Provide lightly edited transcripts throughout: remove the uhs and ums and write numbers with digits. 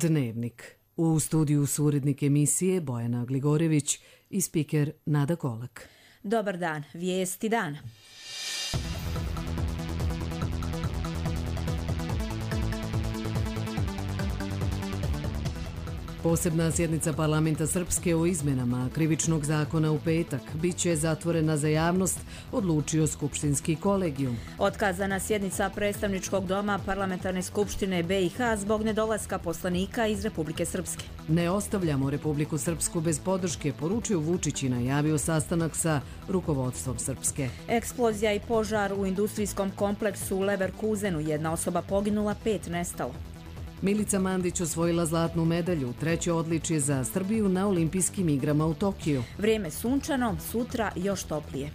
Dnevnik. U studiju su urednik emisije Bojana Gligorević i spiker Nada Kolak. Dobar dan, vijesti dana. Posebna sjednica parlamenta Srpske o izmenama krivičnog zakona u petak biće zatvorena za javnost, odlučio Skupštinski kolegijum. Otkazana sjednica predstavničkog doma parlamentarne skupštine BiH zbog nedolaska poslanika iz Republike Srpske. Ne ostavljamo Republiku Srpsku bez podrške, poručio Vučić i najavio sastanak sa rukovodstvom Srpske. Eksplozija i požar u industrijskom kompleksu u Leverkusenu, jedna osoba poginula, 5 nestalo. Milica Mandić osvojila zlatnu medalju, treće odličje za Srbiju na olimpijskim igrama u Tokiju. Vrijeme sunčano, sutra još toplije.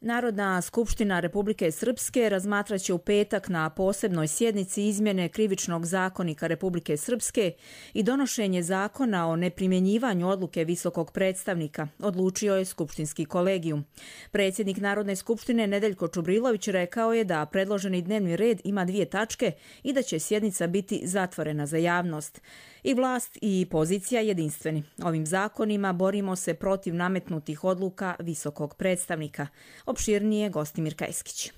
Narodna skupština Republike Srpske razmatraće u petak na posebnoj sjednici izmjene krivičnog zakonika Republike Srpske i donošenje zakona o neprimjenjivanju odluke visokog predstavnika, odlučio je Skupštinski kolegijum. Predsjednik Narodne skupštine Nedeljko Čubrilović rekao je da predloženi dnevni red ima 2 tačke i da će sjednica biti zatvorena za javnost. I vlast i pozicija jedinstveni. Ovim zakonima borimo se protiv nametnutih odluka visokog predstavnika. Opširnije Gostimir Kajskić.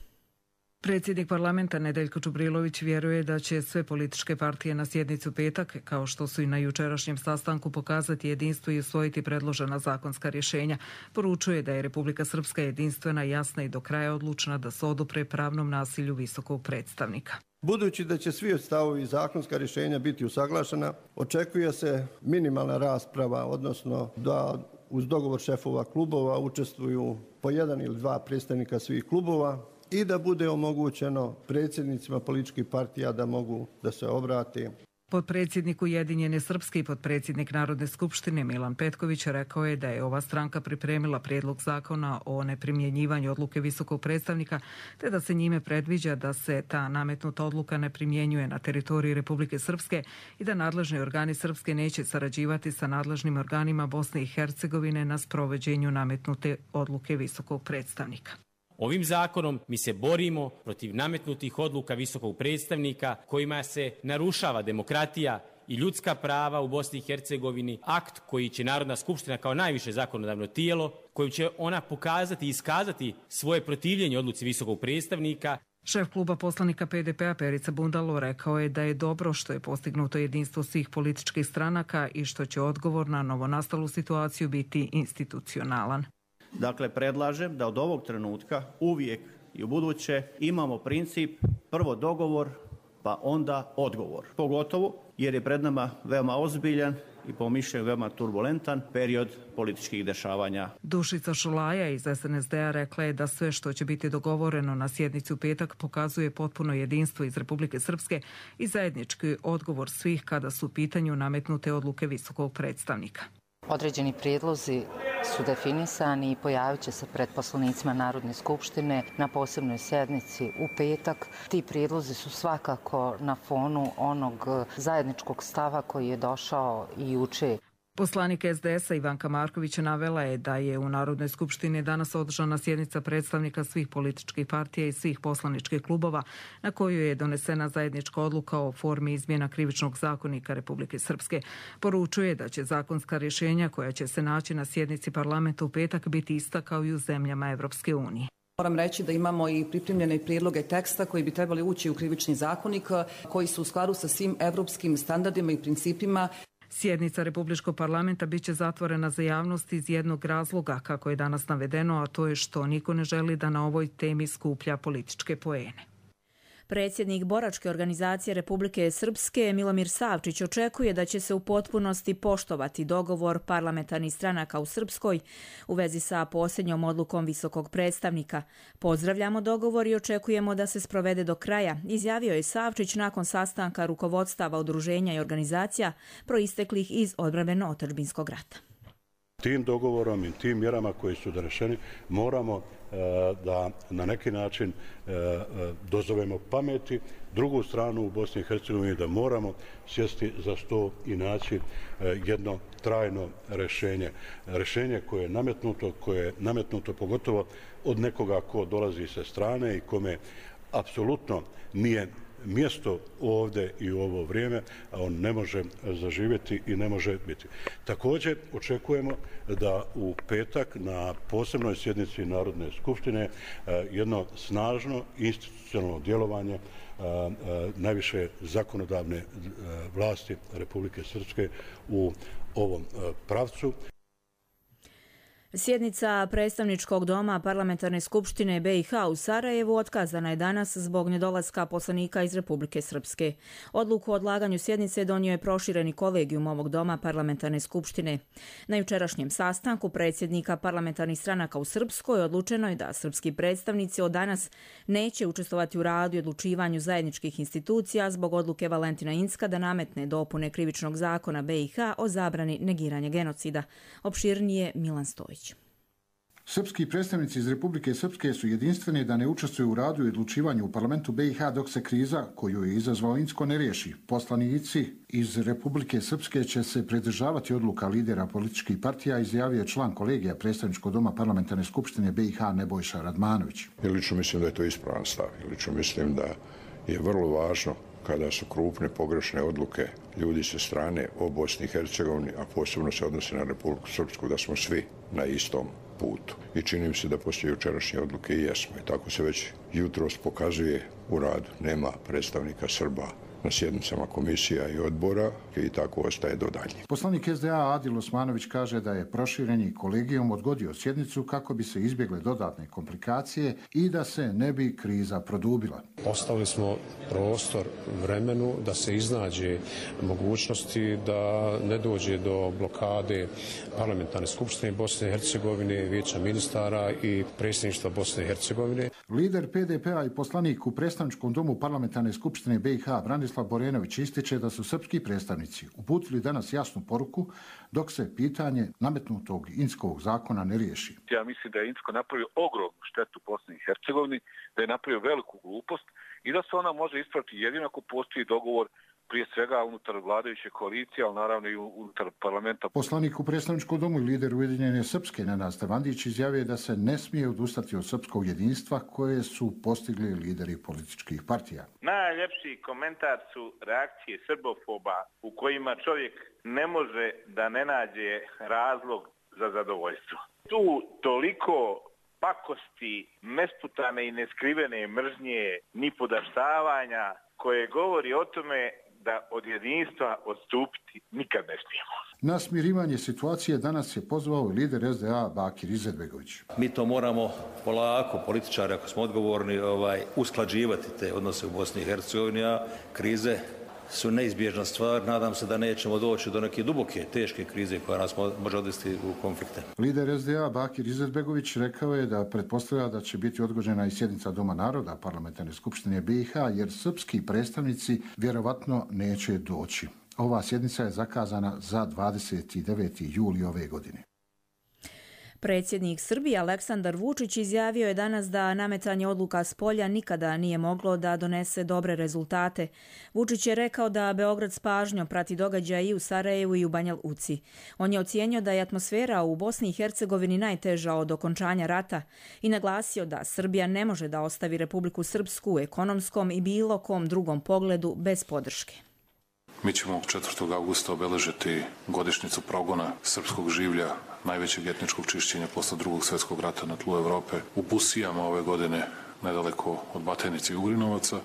Predsjednik parlamenta Nedeljko Čubrilović vjeruje da će sve političke partije na sjednicu petak, kao što su i na jučerašnjem sastanku, pokazati jedinstvo i usvojiti predložena zakonska rješenja. Poručuje da je Republika Srpska jedinstvena, jasna i do kraja odlučna da se odupre pravnom nasilju visokog predstavnika. Budući da će svi stavovi i zakonska rješenja biti usaglašena, očekuje se minimalna rasprava, odnosno da uz dogovor šefova klubova učestvuju po 1 ili 2 predstavnika svih klubova i da bude omogućeno predsjednicima političkih partija da mogu da se obrati. Potpredsjednik Ujedinjene Srpske i potpredsjednik Narodne skupštine Milan Petković rekao je da je ova stranka pripremila prijedlog zakona o neprimjenjivanju odluke visokog predstavnika, te da se njime predviđa da se ta nametnuta odluka ne primjenjuje na teritoriji Republike Srpske i da nadležni organi Srpske neće sarađivati sa nadležnim organima Bosne i Hercegovine na sprovođenju nametnute odluke visokog predstavnika. Ovim zakonom mi se borimo protiv nametnutih odluka visokog predstavnika kojima se narušava demokratija i ljudska prava u Bosni i Hercegovini, akt koji će Narodna skupština kao najviše zakonodavno tijelo, kojim će ona pokazati i iskazati svoje protivljenje odluci visokog predstavnika. Šef kluba poslanika PDP-a Perica Bundalo rekao je da je dobro što je postignuto jedinstvo svih političkih stranaka i što će odgovor na novonastalu situaciju biti institucionalan. Dakle, predlažem da od ovog trenutka uvijek i u buduće imamo princip prvo dogovor pa onda odgovor. Pogotovo jer je pred nama veoma ozbiljan i po mišljenju veoma turbulentan period političkih dešavanja. Dušica Šulaja iz SNSD-a rekla je da sve što će biti dogovoreno na sjednici u petak pokazuje potpuno jedinstvo iz Republike Srpske i zajednički odgovor svih kada su u pitanju nametnute odluke visokog predstavnika. Određeni prijedlozi su definisani i pojavit će se pred poslanicima Narodne skupštine na posebnoj sjednici u petak. Ti prijedlozi su svakako na fonu onog zajedničkog stava koji je došao i juče. Poslanik SDS-a Ivanka Marković navela je da je u Narodnoj skupštini danas održana sjednica predstavnika svih političkih partija i svih poslaničkih klubova na koju je donesena zajednička odluka o formi izmjena krivičnog zakonika Republike Srpske. Poručuje da će zakonska rješenja koja će se naći na sjednici parlamenta u petak biti ista kao i u zemljama Evropske unije. Moram reći da imamo i pripremljene prijedloge teksta koji bi trebali ući u krivični zakonik, koji su u skladu sa svim evropskim standardima i principima. Sjednica Republičkog parlamenta biće zatvorena za javnost iz jednog razloga, kako je danas navedeno, a to je što niko ne želi da na ovoj temi skuplja političke poene. Predsjednik boračke organizacije Republike Srpske Milomir Savčić očekuje da će se u potpunosti poštovati dogovor parlamentarnih stranaka u Srpskoj u vezi sa posljednjom odlukom visokog predstavnika. Pozdravljamo dogovor i očekujemo da se sprovede do kraja, izjavio je Savčić nakon sastanka rukovodstava udruženja i organizacija proisteklih iz odbrambeno-otadžbinskog rata. Tim dogovorom i tim mjerama koji su doneseni moramo da na neki način dozovemo pameti drugu stranu u Bosni i Hercegovini, da moramo sjesti za sto i naći jedno trajno rješenje. Rješenje koje je nametnuto pogotovo od nekoga ko dolazi sa strane i kome apsolutno nije mjesto ovdje i u ovo vrijeme, a on ne može zaživjeti i ne može biti. Također očekujemo da u petak na posebnoj sjednici Narodne skupštine jedno snažno institucionalno djelovanje najviše zakonodavne vlasti Republike Srpske u ovom pravcu. Sjednica predstavničkog doma Parlamentarne skupštine BiH u Sarajevu otkazana je danas zbog nedolaska poslanika iz Republike Srpske. Odluku o odlaganju sjednice donio je prošireni kolegijum ovog doma Parlamentarne skupštine. Na jučerašnjem sastanku predsjednika parlamentarnih stranaka u Srpskoj odlučeno je da srpski predstavnici od danas neće učestvovati u radu i odlučivanju zajedničkih institucija zbog odluke Valentina Incka da nametne dopune krivičnog zakona BiH o zabrani negiranja genocida. Opširnije Milan Stojić. Srpski predstavnici iz Republike Srpske su jedinstveni da ne učestvuju u radu i odlučivanju u parlamentu BiH dok se kriza koju je izazvao Incko ne riješi. Poslanici iz Republike Srpske će se pridržavati odluka lidera političkih partija, izjavio je član kolegija predstavničkog doma Parlamentarne skupštine BiH Nebojša Radmanović. Lično mislim da je to ispravan stav. Lično mislim da je vrlo važno kada su krupne pogrešne odluke ljudi sa strane o Bosni i Hercegovini, a posebno se odnosi na Republiku Srpsku, da smo svi na istom putu. I čini mi se da poslije jučerašnje odluke i jesmo. I tako se već jutros pokazuje u radu. Nema predstavnika Srba na sjednicama komisija i odbora i tako ostaje do dalje. Poslanik SDA Adil Osmanović kaže da je prošireni kolegijum odgodio sjednicu kako bi se izbjegle dodatne komplikacije i da se ne bi kriza produbila. Ostavili smo prostor vremenu da se iznađe mogućnosti da ne dođe do blokade Parlamentarne skupštine Bosne i Hercegovine, Vijeća ministara i predsjedništva Bosne i Hercegovine. Lider PDP-a i poslanik u predstavničkom domu Parlamentarne skupštine BiH Branislav Borenović ističe da su srpski predstavnici uputili danas jasnu poruku dok se pitanje nametnutog Inckovog zakona ne riješi. Ja mislim da je Incko napravio ogromnu štetu Bosni i Hercegovini, da je napravio veliku glupost i da se ona može ispraviti jedino ako postoji dogovor prije svega unutar vladajuće koalicije, ali naravno i unutar parlamenta. Poslanik u predstavničkom domu i lider Ujedinjene Srpske Nenad Stevandić izjavio da se ne smije odustati od srpskog jedinstva koje su postigli lideri političkih partija. Najljepši komentar su reakcije srbofoba u kojima čovjek ne može da ne nađe razlog za zadovoljstvo. Tu toliko pakosti, nesputane i neskrivene mržnje, ni podaštavanja koje govori o tome da od jedinstva odstupiti nikad ne smijemo. Na smirivanje situacije danas je pozvao lider SDA Bakir Izetbegović. Mi to moramo polako, političari, ako smo odgovorni, usklađivati te odnose u Bosni i Hercegovini, a krize su neizbježna stvar. Nadam se da nećemo doći do neke duboke, teške krize koja nas može odvesti u konflikte. Lider SDA Bakir Izetbegović rekao je da pretpostavlja da će biti odgođena i sjednica Doma naroda Parlamentarne skupštine BiH jer srpski predstavnici vjerovatno neće doći. Ova sjednica je zakazana za 29. juli ove godine. Predsjednik Srbije Aleksandar Vučić izjavio je danas da nametanje odluka s polja nikada nije moglo da donese dobre rezultate. Vučić je rekao da Beograd s pažnjom prati događaje i u Sarajevu i u Banja Luci. On je ocijenio da je atmosfera u Bosni i Hercegovini najteža od okončanja rata i naglasio da Srbija ne može da ostavi Republiku Srpsku u ekonomskom i bilo kom drugom pogledu bez podrške. Mi ćemo 4. augusta obeležiti godišnjicu progona srpskog življa, najvećeg etničkog čišćenja posle Drugog svjetskog rata na tlu Evrope, u Busijama ove godine, nedaleko od Batajnice i Ugrinovaca.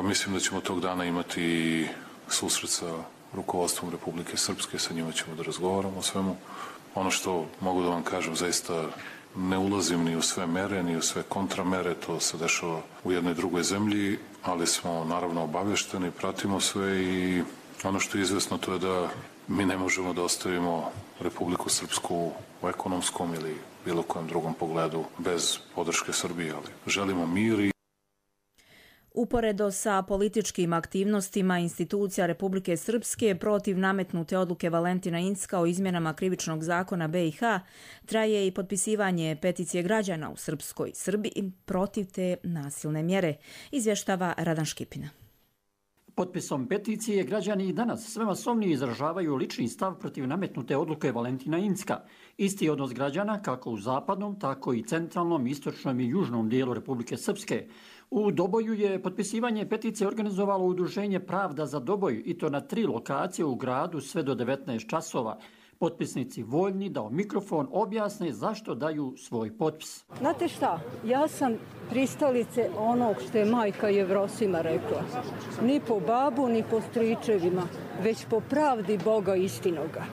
Mislim da ćemo tog dana imati susret sa rukovodstvom Republike Srpske, sa njima ćemo da razgovaramo o svemu. Ono što mogu da vam kažem, zaista ne ulazim ni u sve mere, ni u sve kontramere, to se dešava u jednoj drugoj zemlji, ali smo naravno obavješteni, pratimo sve i ono što je izvesno to je da mi ne možemo da ostavimo Republiku Srpsku u ekonomskom ili bilo kojem drugom pogledu bez podrške Srbije, ali želimo mir i Uporedo sa političkim aktivnostima institucija Republike Srpske protiv nametnute odluke Valentina Incka o izmjenama krivičnog zakona BiH traje i potpisivanje peticije građana u Srpskoj Srbiji protiv te nasilne mjere, izvještava Radan Škipina. Potpisom peticije građani i danas sve masovnije izražavaju lični stav protiv nametnute odluke Valentina Incka. Isti odnos građana kako u zapadnom, tako i centralnom, istočnom i južnom dijelu Republike Srpske. U Doboju je potpisivanje peticije organizovalo udruženje Pravda za Doboj i to na 3 lokacije u gradu sve do 19 časova. Potpisnici voljni da u mikrofon objasne zašto daju svoj potpis. Znate šta, ja sam pristalice onog što je majka Jevrosima rekla. Ni po babu, ni po stričevima, već po pravdi Boga istinoga.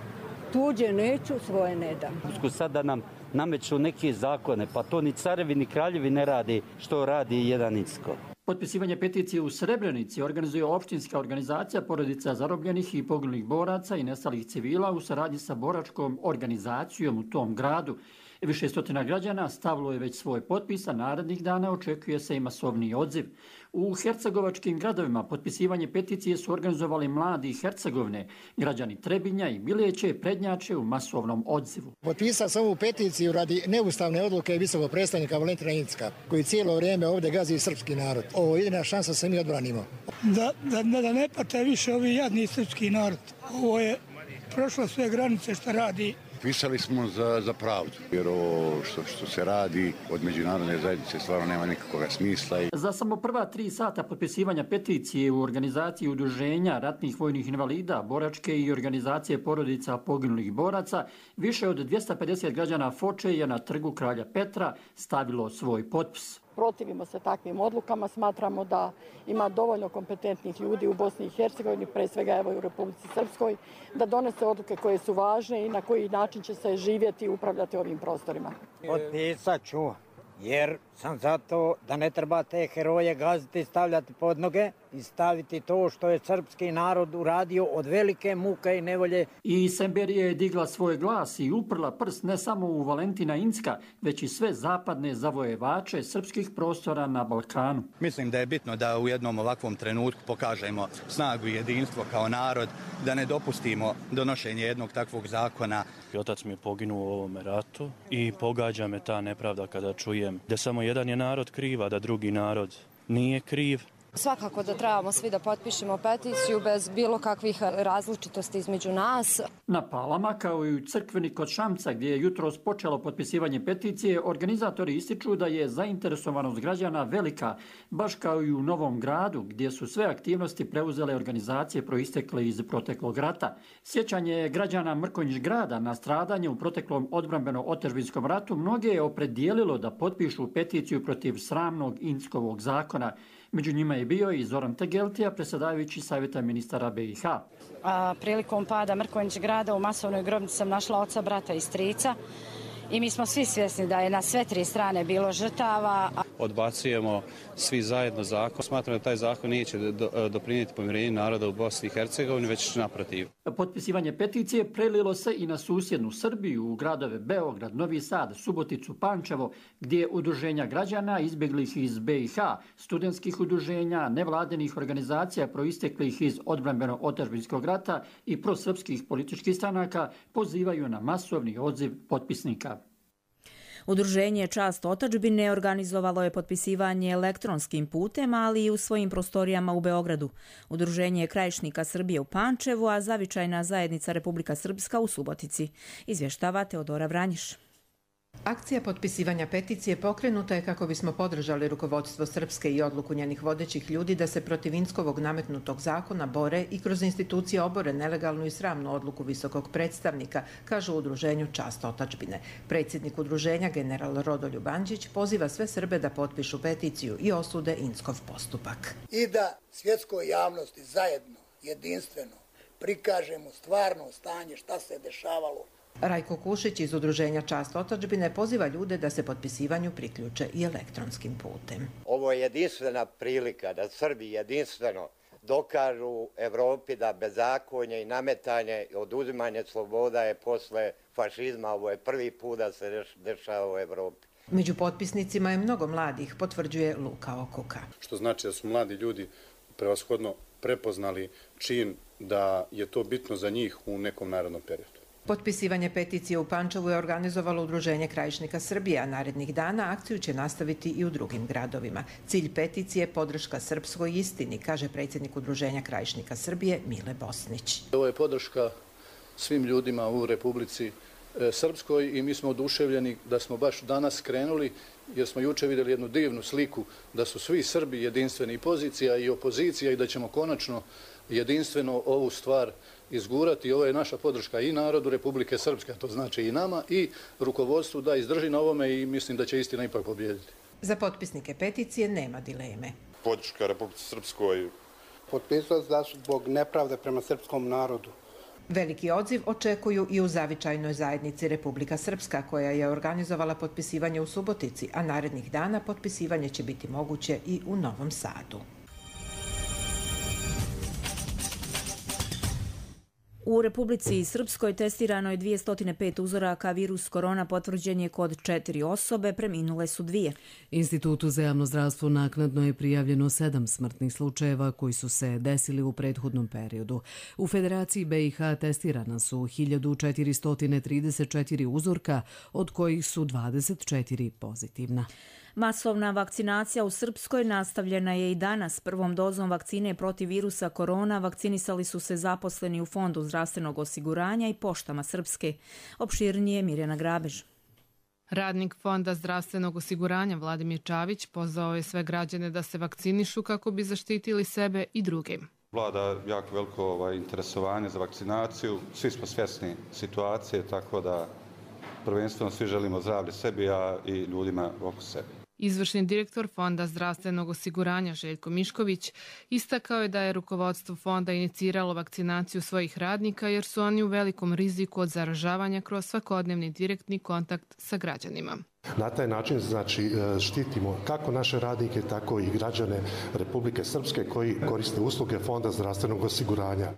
Tuđe neću, svoje ne dam. Sada nam nameću neke zakone, pa to ni carevi ni kraljevi ne radi što radi jedan Incko. Potpisivanje peticije u Srebrenici organizuje opštinska organizacija porodica zarobljenih i poginulih boraca i nestalih civila u saradnji sa boračkom organizacijom u tom gradu. Više stotina građana stavilo je već svoj potpis, a narednih dana očekuje se i masovni odziv. U hercegovačkim gradovima potpisivanje peticije su organizovali mladi Hercegovine, građani Trebinja i Miljeće prednjače u masovnom odzivu. Potpisao sam ovu peticiju radi neustavne odluke visokog predstavnika Valentina Incka, koji cijelo vrijeme ovdje gazi srpski narod. Ovo je jedina šansa da se mi odbranimo. Da ne pate više ovi jadni srpski narod. Ovo je prošlo sve granice što radi. Pisali smo za pravdu, jer ovo što se radi od međunarodne zajednice stvarno nema nikakvog smisla. Za samo prva 3 sata potpisivanja peticije u organizaciji udruženja ratnih vojnih invalida, boračke i organizacije porodica poginulih boraca, više od 250 građana Foče je na trgu Kralja Petra stavilo svoj potpis. Protivimo se takvim odlukama, smatramo da ima dovoljno kompetentnih ljudi u Bosni i Hercegovini, pre svega evo i u Republici Srpskoj, da donese odluke koje su važne i na koji način će se živjeti i upravljati ovim prostorima. Potpisat ću, jer sam zato da ne treba te heroje gaziti i stavljati pod noge i staviti to što je srpski narod uradio od velike muke i nevolje. I Semberija je digla svoj glas i uprla prst ne samo u Valentina Incka, već i sve zapadne zavojevače srpskih prostora na Balkanu. Mislim da je bitno da u jednom ovakvom trenutku pokažemo snagu i jedinstvo kao narod, da ne dopustimo donošenje jednog takvog zakona. Otac mi je poginuo u ovome ratu i pogađa me ta nepravda kada čujem da samo jedan je narod kriv, a da drugi narod nije kriv. Svakako da trebamo svi da potpišemo peticiju bez bilo kakvih različitosti između nas. Na Palama, kao i u crkveni kod Šamca, gdje je jutros počelo potpisivanje peticije, organizatori ističu da je zainteresovanost građana velika, baš kao i u Novom Gradu, gdje su sve aktivnosti preuzele organizacije proistekle iz proteklog rata. Sjećanje građana Mrkonjić grada na stradanje u proteklom odbrambeno-otadžbinskom ratu mnoge je opredijelilo da potpišu peticiju protiv sramnog Inckovog zakona. Među njima je bio i Zoran Tegeltija, predsjedavajući Savjeta ministara BiH. Prilikom pada Mrkonjić grada u masovnoj grobnici sam našla oca, brata i strica i mi smo svi svjesni da je na sve 3 strane bilo žrtava. Odbacujemo svi zajedno zakon. Smatram da taj zakon neće doprinijeti pomirenju naroda u Bosni i Hercegovini, već naprotiv. Potpisivanje peticije prelilo se i na susjednu Srbiju, u gradove Beograd, Novi Sad, Suboticu, Pančevo, gdje udruženja građana izbjeglih iz BiH, studentskih udruženja, nevladinih organizacija proisteklih iz odbrambeno-otadžbinskog rata i prosrpskih političkih stranaka pozivaju na masovni odziv potpisnika. Udruženje Čast otadžbine organizovalo je potpisivanje elektronskim putem, ali i u svojim prostorijama u Beogradu. Udruženje Krajišnika Srbije u Pančevu, a Zavičajna zajednica Republika Srpska u Subotici. Izvještava Teodora Vranjiš. Akcija potpisivanja peticije pokrenuta je kako bismo podržali rukovodstvo Srpske i odluku njenih vodećih ljudi da se protiv Inckovog nametnutog zakona bore i kroz institucije obore nelegalnu i sramnu odluku visokog predstavnika, kažu u udruženju Čast otadžbine. Predsjednik udruženja general Rodoljub Andžić poziva sve Srbe da potpišu peticiju i osude Inckov postupak. I da svjetskoj javnosti zajedno, jedinstveno prikažemo stvarno stanje šta se dešavalo. Rajko Kušić iz udruženja Čast otadžbine poziva ljude da se potpisivanju priključe i elektronskim putem. Ovo je jedinstvena prilika da Srbi jedinstveno dokažu Evropi da bezakonje i nametanje i oduzimanje sloboda je posle fašizma. Ovo je prvi put da se dešava u Evropi. Među potpisnicima je mnogo mladih, potvrđuje Luka Okuka. Što znači da su mladi ljudi prevashodno prepoznali čin da je to bitno za njih u nekom narednom periodu. Potpisivanje peticije u Pančevu je organizovalo Udruženje krajišnika Srbije, a narednih dana akciju će nastaviti i u drugim gradovima. Cilj peticije je podrška srpskoj istini, kaže predsjednik Udruženja krajišnika Srbije Mile Bosnić. Ovo je podrška svim ljudima u Republici Srpskoj i mi smo oduševljeni da smo baš danas krenuli, jer smo juče vidjeli jednu divnu sliku da su svi Srbi jedinstveni, i pozicija i opozicija, i da ćemo konačno jedinstveno ovu stvar izgurati. Ovo je naša podrška i narodu Republike Srpske, to znači i nama, i rukovodstvu da izdrži na ovome, i mislim da će istina ipak pobijediti. Za potpisnike peticije nema dileme. Podrška Republike Srpskoj. Potpisao da su zbog nepravde prema srpskom narodu. Veliki odziv očekuju i u zavičajnoj zajednici Republika Srpska, koja je organizovala potpisivanje u Subotici, a narednih dana potpisivanje će biti moguće i u Novom Sadu. U Republici Srpskoj testirano je 205 uzoraka, virus korona potvrđen je kod 4 osobe, preminule su 2. Institutu za javno zdravstvo naknadno je prijavljeno 7 smrtnih slučajeva koji su se desili u prethodnom periodu. U Federaciji BiH testirana su 1434 uzorka, od kojih su 24 pozitivna. Masovna vakcinacija u Srpskoj nastavljena je i danas. Prvom dozom vakcine protiv virusa korona vakcinisali su se zaposleni u Fondu zdravstvenog osiguranja i poštama Srpske. Opširnije Mirjana Grabež. Radnik Fonda zdravstvenog osiguranja Vladimir Čavić pozvao je sve građane da se vakcinišu kako bi zaštitili sebe i druge. Vlada jako veliko interesovanje za vakcinaciju. Svi smo svjesni situacije, tako da prvenstveno svi želimo zdravlje sebi, a i ljudima oko sebe. Izvršni direktor Fonda zdravstvenog osiguranja Željko Mišković istakao je da je rukovodstvo fonda iniciralo vakcinaciju svojih radnika jer su oni u velikom riziku od zaražavanja kroz svakodnevni direktni kontakt sa građanima. Na taj način štitimo kako naše radnike, tako i građane Republike Srpske koji koriste usluge Fonda zdravstvenog osiguranja.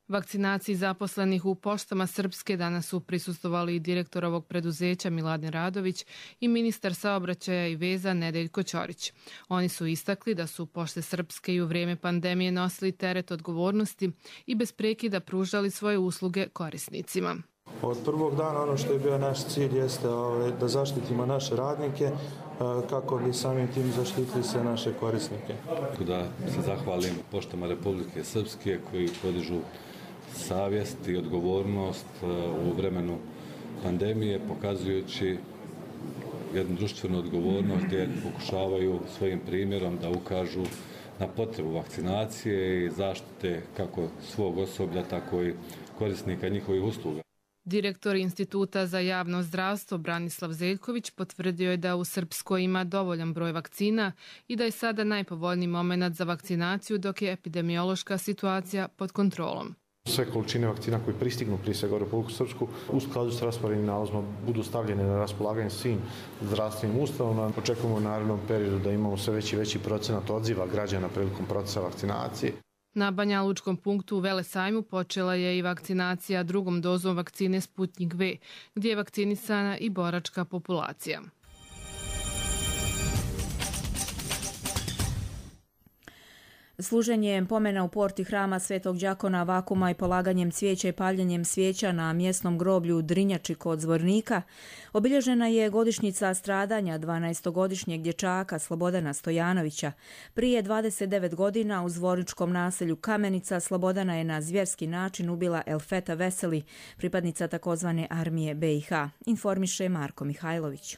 Vakcinaciji zaposlenih u poštama Srpske danas su prisustvovali i direktor ovog preduzeća Miladin Radović i ministar saobraćaja i veza Nedeljko Ćorić. Oni su istakli da su pošte Srpske i u vrijeme pandemije nosili teret odgovornosti i bez prekida pružali svoje usluge korisnicima. Od prvog dana ono što je bio naš cilj jeste da zaštitimo naše radnike kako bi samim tim zaštitili sve naše korisnike. Da se zahvalim poštama Republike Srpske koji podižu savjest i odgovornost u vremenu pandemije, pokazujući jednu društvenu odgovornost gdje pokušavaju svojim primjerom da ukažu na potrebu vakcinacije i zaštite kako svog osoblja, tako i korisnika njihovih usluga. Direktor Instituta za javno zdravstvo Branislav Zeljković potvrdio je da u Srpskoj ima dovoljan broj vakcina i da je sada najpovoljniji moment za vakcinaciju dok je epidemiološka situacija pod kontrolom. Sve količine vakcina koje pristignu prije svega u Republiku Srpsku u skladu s rasporednim nalazima budu stavljene na raspolaganje svim zdravstvenim ustanovama. Očekujemo u narednom periodu da imamo sve veći procenat odziva građana prilikom procesa vakcinacije. Na Banjalučkom punktu u Velesajmu počela je i vakcinacija drugom dozom vakcine Sputnik V, gdje je vakcinisana i boračka populacija. Služenjem pomena u porti hrama Svetog đakona Vakuma i polaganjem cvijeća i paljenjem svijeća na mjesnom groblju Drinjači kod Zvornika obilježena je godišnjica stradanja 12-godišnjeg dječaka Slobodana Stojanovića. Prije 29 godina u zvorničkom naselju Kamenica Slobodana je na zvjerski način ubila Elfeta Veseli, pripadnica takozvane armije BiH, informiše Marko Mihajlović.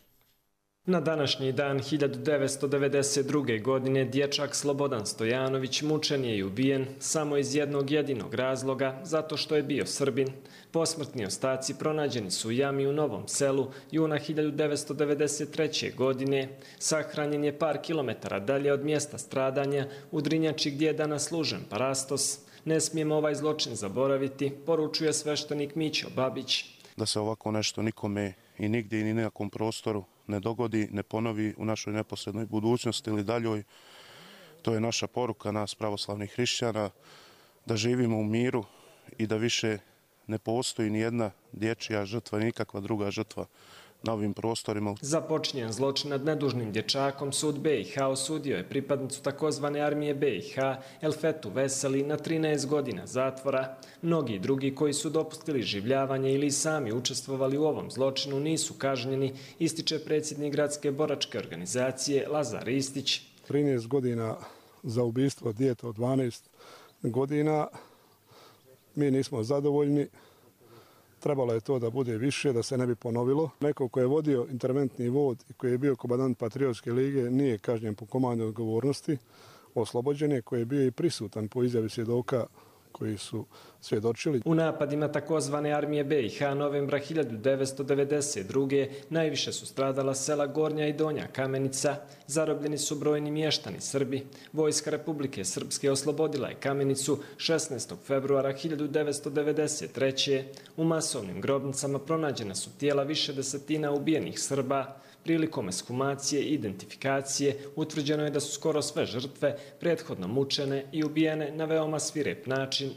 Na današnji dan 1992. godine dječak Slobodan Stojanović mučen je i ubijen samo iz jednog jedinog razloga, zato što je bio Srbin. Posmrtni ostaci pronađeni su u jami u Novom Selu juna 1993. godine. Sahranjen je par kilometara dalje od mjesta stradanja u Drinjači gdje je danas služen parastos. Ne smijemo ovaj zločin zaboraviti, poručuje sveštenik Mićo Babić. Da se ovako nešto nikome i nigdje i ni na nekom prostoru ne dogodi, ne ponovi u našoj neposrednoj budućnosti ili daljoj. To je naša poruka nas pravoslavnih hrišćana, da živimo u miru i da više ne postoji ni jedna dječja žrtva, nikakva druga žrtva na ovim prostorima. Za počinjen zločin nad nedužnim dječakom sud BiH osudio je pripadnicu takozvane armije BiH Elfetu Veseli na 13 godina zatvora. Mnogi drugi koji su dopustili življavanje ili sami učestvovali u ovom zločinu nisu kažnjeni, ističe predsjednik gradske boračke organizacije Lazar Ristić. 13 godina za ubistvo djeta od 12 godina. Mi nismo zadovoljni. Trebalo je to da bude više, da se ne bi ponovilo. Neko ko je vodio interventni vod i koji je bio komandant Patriotske lige nije kažnjen po komandnoj odgovornosti. Oslobođen je, koji je bio i prisutan po izjavi svjedoka koji su svjedočili. U napadima takozvane armije BiH novembra 1992. najviše su stradala sela Gornja i Donja Kamenica. Zarobljeni su brojni mještani Srbi. Vojska Republike Srpske oslobodila je Kamenicu 16. februara 1993. U masovnim grobnicama pronađena su tijela više desetina ubijenih Srba. Prilikom ekshumacije i identifikacije utvrđeno je da su skoro sve žrtve prethodno mučene i ubijene na veoma svirep način.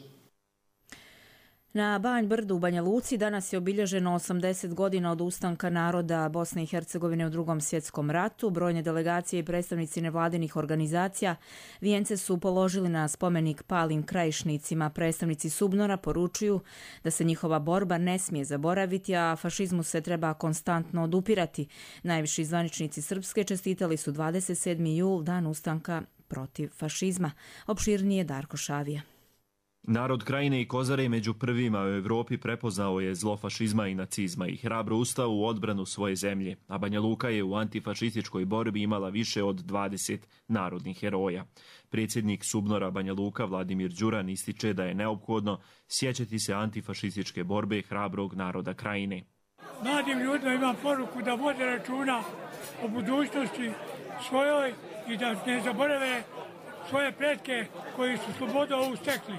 Na Banj Brdu u Banja Luci danas je obilježeno 80 godina od ustanka naroda Bosne i Hercegovine u Drugom svjetskom ratu. Brojne delegacije i predstavnici nevladinih organizacija vijence su položili na spomenik palim krajišnicima. Predstavnici Subnora poručuju da se njihova borba ne smije zaboraviti, a fašizmu se treba konstantno odupirati. Najviši zvaničnici Srpske čestitali su 27. jul, dan ustanka protiv fašizma. Opširnije Darko Šavija. Narod Krajine i Kozare među prvima u Evropi prepoznao je zlo fašizma i nacizma i hrabro ustao u odbranu svoje zemlje, a Banja Luka je u antifašističkoj borbi imala više od 20 narodnih heroja. Predsjednik Subnora Banja Luka Vladimir Đuran ističe da je neophodno sjećati se antifašističke borbe hrabrog naroda Krajine. Mladim ljudima imam poruku da vode računa o budućnosti svojoj i da ne zaborave svoje pretke koji su slobodu ovu stekli.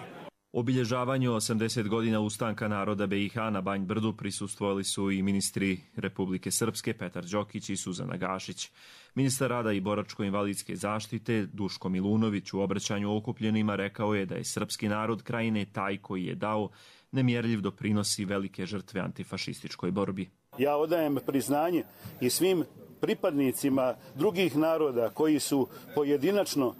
Obilježavanju 80 godina ustanka naroda BiH na Banj Brdu prisustvovali su i ministri Republike Srpske Petar Đokić i Suzana Gašić. Ministar rada i boračko-invalidske zaštite Duško Milunović u obraćanju okupljenima rekao je da je srpski narod Krajine taj koji je dao nemjerljiv doprinosi velike žrtve antifašističkoj borbi. Ja odajem priznanje i svim pripadnicima drugih naroda koji su pojedinačno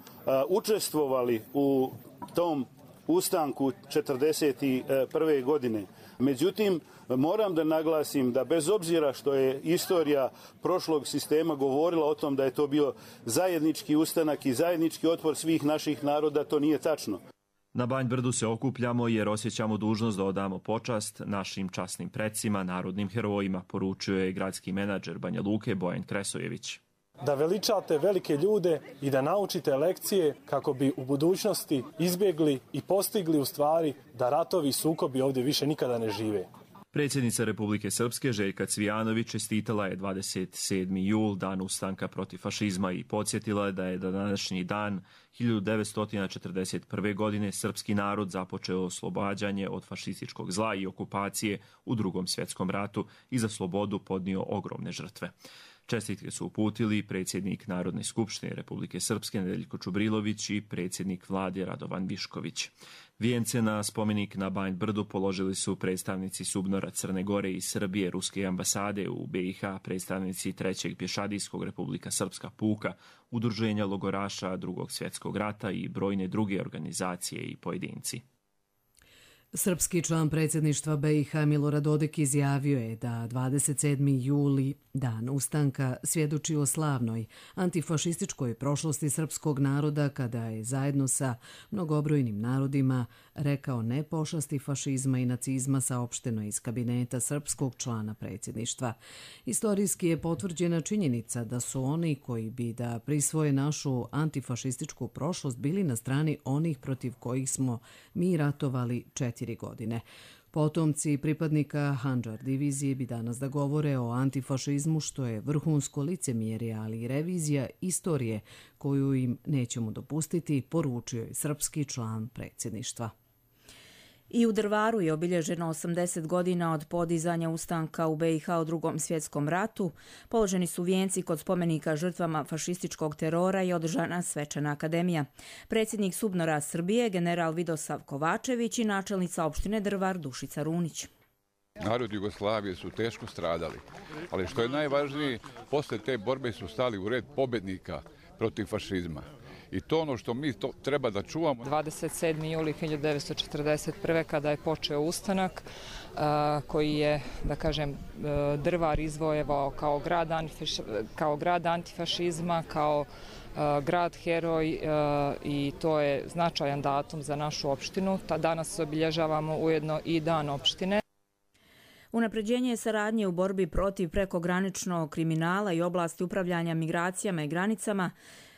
učestvovali u tom ustanku 1941. godine. Međutim, moram da naglasim da bez obzira što je istorija prošlog sistema govorila o tom da je to bio zajednički ustanak i zajednički otpor svih naših naroda, to nije tačno. Na Banj Brdu se okupljamo jer osjećamo dužnost da odamo počast našim časnim precima, narodnim herojima, poručio je gradski menadžer Banja Luke Bojan Kresojević. Da veličate velike ljude i da naučite lekcije kako bi u budućnosti izbjegli i postigli u stvari da ratovi i sukobi ovdje više nikada ne žive. Predsjednica Republike Srpske Željka Cvijanović čestitala je 27. jul, dan ustanka protiv fašizma i podsjetila je da je današnji dan 1941. godine srpski narod započeo oslobađanje od fašističkog zla i okupacije u Drugom svjetskom ratu i za slobodu podnio ogromne žrtve. Čestitke su uputili predsjednik Narodne skupštine Republike Srpske Nedeljko Čubrilović i predsjednik vlade Radovan Višković. Vijence na spomenik na Banj Brdu položili su predstavnici Subnora, Crne Gore i Srbije, Ruske ambasade u BiH, predstavnici 3. pješadijskog Republika Srpska puka, udruženja logoraša Drugog svjetskog rata i brojne druge organizacije i pojedinci. Srpski član predsjedništva BiH Milorad Dodik izjavio je da 27. juli, dan ustanka, svjedoči o slavnoj antifašističkoj prošlosti srpskog naroda kada je zajedno sa mnogobrojnim narodima rekao ne pošasti fašizma i nacizma, saopšteno iz kabineta srpskog člana predsjedništva. Istorijski je potvrđena činjenica da su oni koji bi da prisvoje našu antifašističku prošlost bili na strani onih protiv kojih smo mi ratovali 4 godine. Potomci pripadnika Handžar divizije bi danas da govore o antifašizmu, što je vrhunsko licemjerje, ali i revizija istorije koju im nećemo dopustiti, poručio je srpski član predsjedništva. I u Drvaru je obilježeno 80 godina od podizanja ustanka u BiH u Drugom svjetskom ratu. Položeni su vijenci kod spomenika žrtvama fašističkog terora i održana svečana akademija. Predsjednik Subnora Srbije, general Vidosav Kovačević i načelnica opštine Drvar Dušica Runić. Narod Jugoslavije su teško stradali, ali što je najvažnije, posle te borbe su stali u red pobednika protiv fašizma. I to ono što mi treba da čuvamo. 27. juli 1941. kada je počeo ustanak koji je, da kažem, Drvar izvojevao kao grad antifašizma, kao grad heroj i to je značajan datum za našu opštinu. Danas obilježavamo ujedno i dan opštine. Unapređenje saradnje u borbi protiv prekograničnog kriminala i oblasti upravljanja migracijama i granicama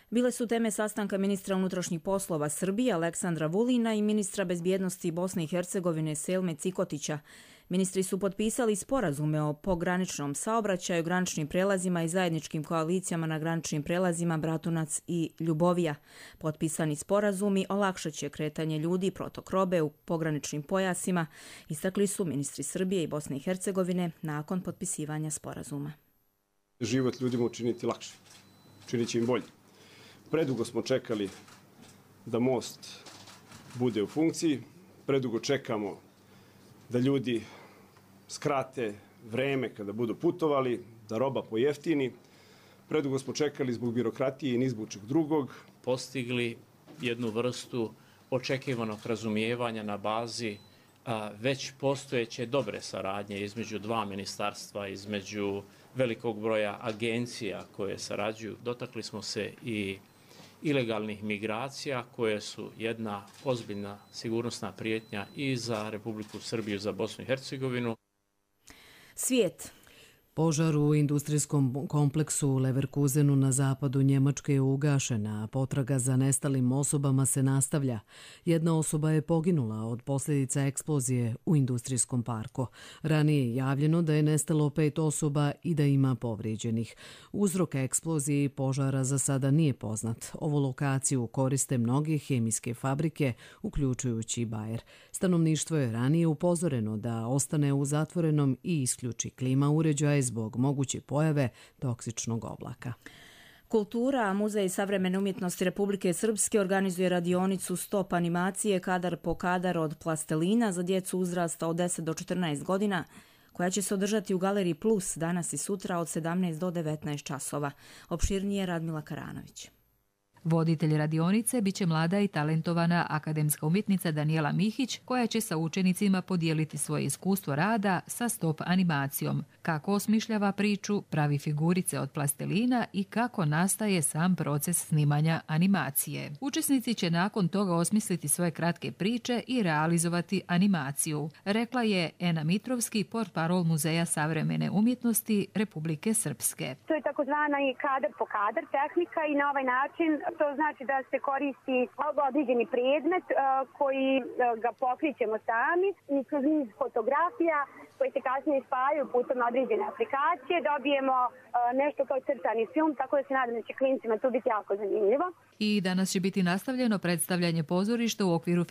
bile su teme sastanka ministra unutrašnjih poslova Srbije Aleksandra Vulina i ministra bezbjednosti Bosne i Hercegovine Selme Cikotića. Ministri su potpisali sporazume o pograničnom saobraćaju, graničnim prelazima i zajedničkim koalicijama na graničnim prelazima Bratunac i Ljubovija. Potpisani sporazumi olakšat će kretanje ljudi i protok robe u pograničnim pojasima, istakli su ministri Srbije i Bosne i Hercegovine nakon potpisivanja sporazuma. Život ljudima učiniti lakše, učinit će im bolje. Predugo smo čekali da most bude u funkciji, predugo čekamo da ljudi skrate vreme kada budu putovali, da roba pojeftini. Predugo smo čekali zbog birokratije i ni zbog čeg drugog. Postigli jednu vrstu očekivanog razumijevanja na bazi već postojeće dobre saradnje između dva ministarstva, između velikog broja agencija koje sarađuju. Dotakli smo se i ilegalnih migracija koje su jedna ozbiljna sigurnosna prijetnja i za Republiku Srbiju, za Bosnu i Hercegovinu. Svijet. Požar u industrijskom kompleksu u Leverkusenu na zapadu Njemačke je ugašen, a potraga za nestalim osobama se nastavlja. Jedna osoba je poginula od posljedica eksplozije u industrijskom parku. Ranije je javljeno da je nestalo 5 osoba i da ima povrijeđenih. Uzrok eksplozije i požara za sada nije poznat. Ovu lokaciju koriste mnoge hemijske fabrike, uključujući i Bayer. Stanovništvo je ranije upozoreno da ostane u zatvorenom i isključi klima uređaja zbog moguće pojave toksičnog oblaka. Kultura, Muzej savremene umjetnosti Republike Srpske organizuje radionicu Stop animacije kadar po kadar od plastelina za djecu uzrasta od 10 do 14 godina, koja će se održati u Galeriji Plus danas i sutra od 17 do 19 časova. Opširnije Radmila Karanović. Voditelj radionice biće mlada i talentovana akademska umjetnica Danijela Mihić, koja će sa učenicima podijeliti svoje iskustvo rada sa stop animacijom, kako osmišljava priču, pravi figurice od plastelina i kako nastaje sam proces snimanja animacije. Učesnici će nakon toga osmisliti svoje kratke priče i realizovati animaciju, rekla je Ena Mitrovski, portparol Muzeja savremene umjetnosti Republike Srpske. To je takozvana i kadar po kadar tehnika i na ovaj način to znači da se koristi određeni predmet koji ga pokrićemo sami i kroz niz fotografija koje se kasnije spajaju putem određene aplikacije dobijemo nešto kao crtani film, tako da se nadam da će klincima tu biti jako zanimljivo. I danas će biti nastavljeno predstavljanje pozorišta u okviru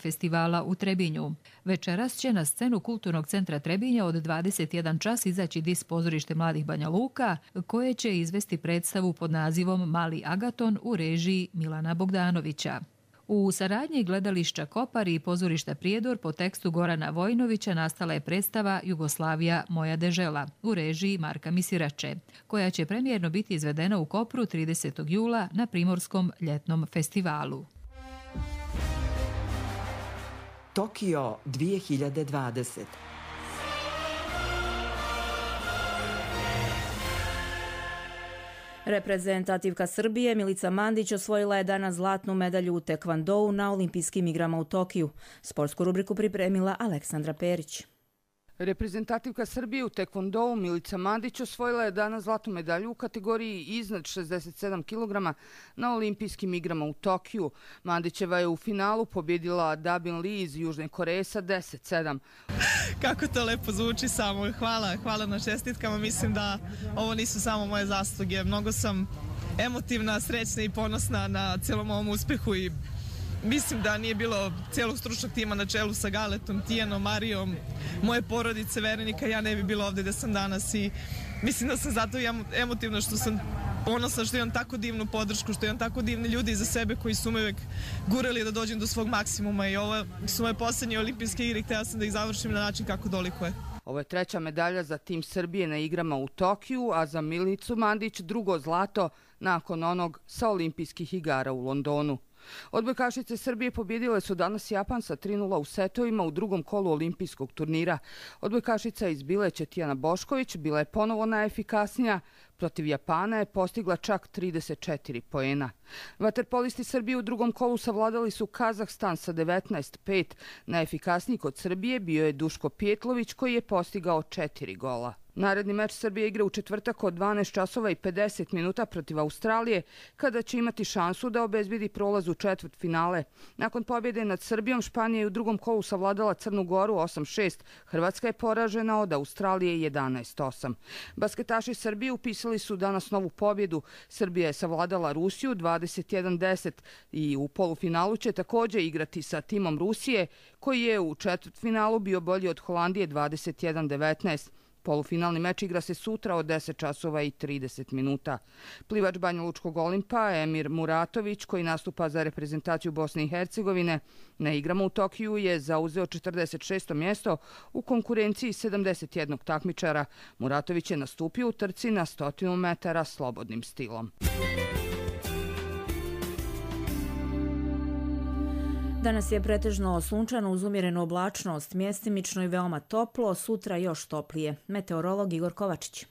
festivala u Trebinju. Večeras će na scenu Kulturnog centra Trebinja od 21 čas izaći DIS pozorište Mladih Banja Luka, koje će izvesti predstavu pod nazivom Mali Agaton u režiji Milana Bogdanovića. U saradnji gledališća Kopar i pozorišta Prijedor po tekstu Gorana Vojnovića nastala je predstava Jugoslavija moja dežela u režiji Marka Misirače, koja će premijerno biti izvedena u Kopru 30. jula na Primorskom ljetnom festivalu. Tokio 2020. Reprezentativka Srbije Milica Mandić osvojila je danas zlatnu medalju u tekvondou na olimpijskim igrama u Tokiju. Sportsku rubriku pripremila Aleksandra Perić. Reprezentativka Srbije u tekvondou Milica Mandić osvojila je danas zlatnu medalju u kategoriji iznad 67 kg na olimpijskim igrama u Tokiju. Mandićeva je u finalu pobjedila Dabin Lee iz Južne Koreje sa 10-7. Kako to lepo zvuči samo. Hvala na čestitkama. Mislim da ovo nisu samo moje zasluge. Mnogo sam emotivna, srećna i ponosna na cijelom ovom uspehu i mislim da nije bilo cijelog stručnog tima na čelu sa Galetom, Tijanom, Marijom, moje porodice, Verenika, ja ne bi bila ovdje gdje sam danas i mislim da sam zato emotivna što sam ponosna što imam tako divnu podršku, što imam tako divni ljudi iza sebe koji su me uvek gurali da dođem do svog maksimuma i ovo su moje posljednje olimpijske igre i htjela sam da ih završim na način kako dolikuje. Ovo je 3. medalja za tim Srbije na igrama u Tokiju, a za Milicu Mandić 2. zlato nakon onog sa olimpijskih igara u Londonu. Odbojkašice Srbije pobjedile su danas Japan sa 3:0 u setovima u drugom kolu olimpijskog turnira. Odbojkašica iz Bileće Tijana Bošković bila je ponovo najefikasnija. Protiv Japana je postigla čak 34 poena. Vaterpolisti Srbije u drugom kolu savladali su Kazahstan sa 19:5. Najefikasniji kod Srbije bio je Duško Pjetlović koji je postigao 4 gola. Naredni meč Srbije igra u četvrtak od 12:50 protiv Australije, kada će imati šansu da obezbedi prolaz u četvrtfinale. Nakon pobjede nad Srbijom, Španija je u drugom kolu savladala Crnu Goru 8:6. Hrvatska je poražena od Australije 11:8. Basketaši Srbije upisali su danas novu pobjedu. Srbija je savladala Rusiju 21:10 i u polufinalu će također igrati sa timom Rusije, koji je u četvrtfinalu bio bolji od Holandije 21:19. Polufinalni meč igra se sutra od 10:30. Plivač Banjalučkog Olimpa Emir Muratović, koji nastupa za reprezentaciju Bosne i Hercegovine, na igrama u Tokiju je zauzeo 46. mjesto u konkurenciji 71 takmičara. Muratović je nastupio u trci na 100 metara slobodnim stilom. Danas je pretežno sunčano uz umjerenu oblačnost, mjestimično i veoma toplo, sutra još toplije. Meteorolog Igor Kovačić.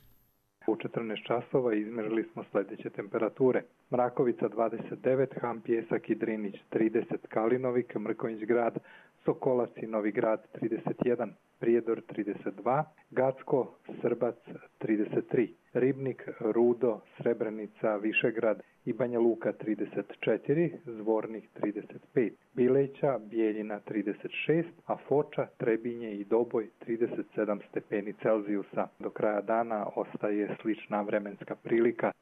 U 14 časova izmjerili smo sljedeće temperature. Mrakovica 29, Ham Pjesak i Drinić 30, Kalinovik, Mrkonjić grad, Sokolac i Novi grad 31, Prijedor 32, Gacko, Srbac 33, Ribnik, Rudo, Srebrenica, Višegrad i Banja Luka 34, Zvornik 35, Bileća, Bijeljina 36, a Foča, Trebinje i Doboj 37 stepeni Celzijusa. Do kraja dana ostaje slična vremenska prilika.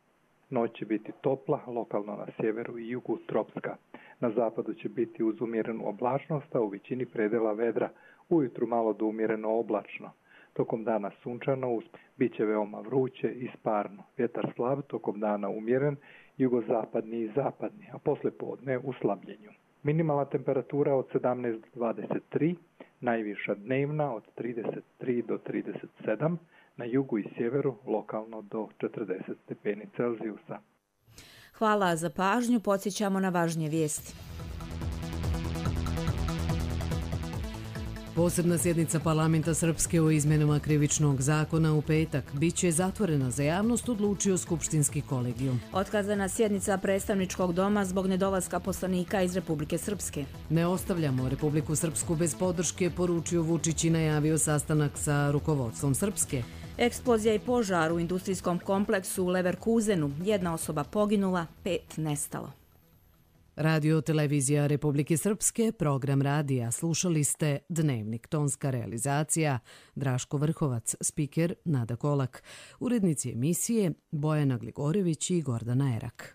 Noć će biti topla, lokalno na sjeveru i jugu tropska. Na zapadu će biti uz umjerenu oblačnost, a u većini predela vedra. Ujutru malo do umjereno oblačno. Tokom dana sunčano, bit će veoma vruće i sparno. Vjetar slab, tokom dana umjeren, jugozapadni i zapadni, a posle podne u slabljenju. Minimalna temperatura od 17 do 23, najviša dnevna od 33 do 37, na jugu i sjeveru lokalno do 40 stepeni Celzijusa. Hvala za pažnju, podsjećamo na važnije vijesti. Posebna sjednica parlamenta Srpske o izmenama krivičnog zakona u petak biće zatvorena za javnost, odlučio skupštinski kolegijum. Otkazana sjednica predstavničkog doma zbog nedolaska poslanika iz Republike Srpske. Ne ostavljamo Republiku Srpsku bez podrške, poručio Vučić i najavio sastanak sa rukovodstvom Srpske. Eksplozija i požar u industrijskom kompleksu u Leverkusenu. 1 osoba poginula, 5 nestalo. Radio Televizija Republike Srpske, program radija. Slušali ste Dnevnik, tonska realizacija Draško Vrhovac, spiker Nada Kolak, urednici emisije Bojana Gligorević i Gordana Erak.